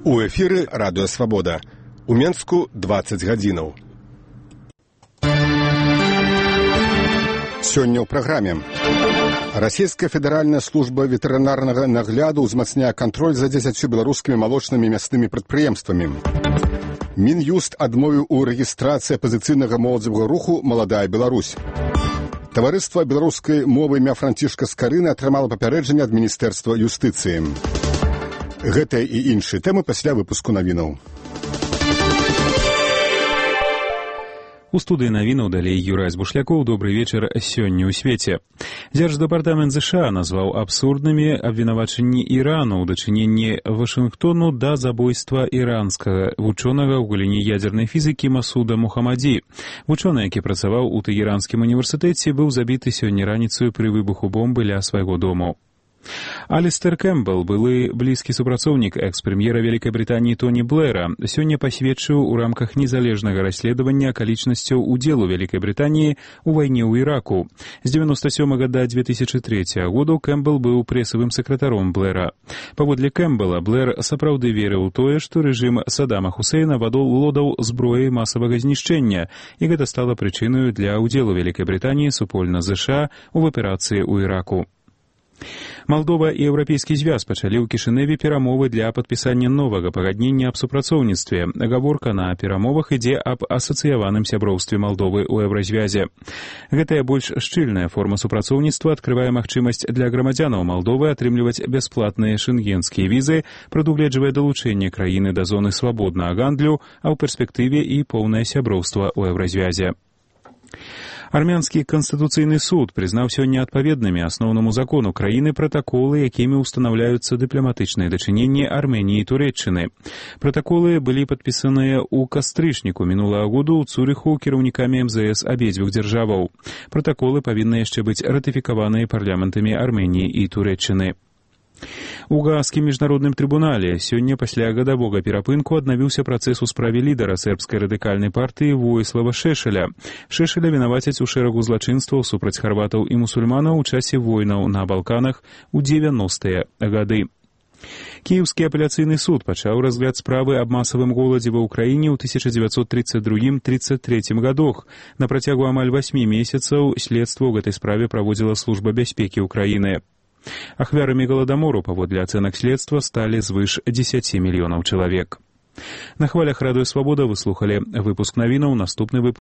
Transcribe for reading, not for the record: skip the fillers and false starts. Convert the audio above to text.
У эфіры Радыё Свабода. У Менску 20 гадзінаў. Сёння ў праграме. Расійская федэральная служба ветэрынарнага нагляду ўзмацняе кантроль за 10 беларускімі малочнымі мяснымі прадпрыемствамі. Мін'юст адмовіў у рэгістрацыі апазіцыйнага моладзевага руху «Маладая Беларусь». Таварыства беларускай мовы імя Францішка Скарыны атрымала папярэджанне ад Міністэрства юстыцыі. Гэтыя і іншыя тэмы пасля выпуску навінаў. У студыі навінаў далей Юрай Збушлякоў. Добрый вечар сёння ў свеце. Дзярждэпартамент ЗША назваў абсурднымі абвінавачанні Ірану ў дачыненні Вашынгтону да забойства іранскага вучонага ў галіне ядзернай фізікі Масуда Мухаммаді. Вучоны, які працаваў у Тэгеранскім універсітэце, быў забіты сёння раніцаю пры выбуху бомбы ля свайго дому. Алістер Кэмпбелл, былы блізкі супрацоўнік экс-прэм'ера Вялікай Брытаніі Тоні Блэра, сёння пасведчыў у рамках незалежнага расследавання акалічнасцяў удзелу Вялікай Брытаніі ў вайне ў Іраку. З 1997 да 2003 году Кэмпбелл быў прэсавым сакратаром Блэра. Паводле Кэмпбелла, Блэр сапраўды верыў у тое, што рэжым Саддама Хусейна валодаў зброяй масавага знішчэння, і гэта стала прычынаю для ўдзелу Вялікай Брытаніі супольна ЗША ў аперацыі ў Іраку. Малдова і Еўрапейскі звяз пачалі ў Кішыневе перамовы для падпісання новага пагаднення аб супрацоўніцтве. Гаворка на перамовах ідзе аб асацыяваным сяброўстве Малдовы ў Еўразвязе. Гэтая больш шчыльная форма супрацоўніцтва адкрывае магчымасць для грамадзянаў Малдовы атрымліваць бясплатныя шэнгенскія візы, прадугледжвае далучэнне краіны да зоны свабоднага гандлю, а ў перспектыве і поўнае сяброўства ў Еўразвязе. Армянскі канстытуцыйны суд прызнаў сёння адпаведнымі асноўнаму закону краіны пратаколы, якімі ўстанаўляюцца дыпламатычныя дачыненні Арменіі і Турэччыны. Пратаколы былі падпісаныя ў кастрычніку мінулага году ў Цурыху кіраўнікамі МЗС абедзвюх дзяржаваў. Пратаколы павінны яшчэ быць ратыфікаваныя парламентамі Арменіі і Турэччыны. У Гаазскім міжнародным трыбунале сёння пасля гадавога перапынку аднавіўся працэс у справе лідара сербскай радыкальнай партыі Воіслава Шешеля. Шешеля вінавацяць у шэрагу злачынстваў супраць харватаў і мусульманаў у часе войнаў на Балканах у 90-е гады. Кіеўскі апеляцыйны суд пачаў разгляд справы аб масавым голадзе ва ўкраіне ў 1932-33 гадах. На працягу амаль 8 месяцаў следства ў гэтай справе праводзіла служба бяспекі ўкраіны. Ахвярамі голадамору, паводле ацэнак следства, сталі звыш 10 мільёнаў чалавек. На хвалях Радыё Свабода вы слухалі выпуск навінаў. Наступны выпуск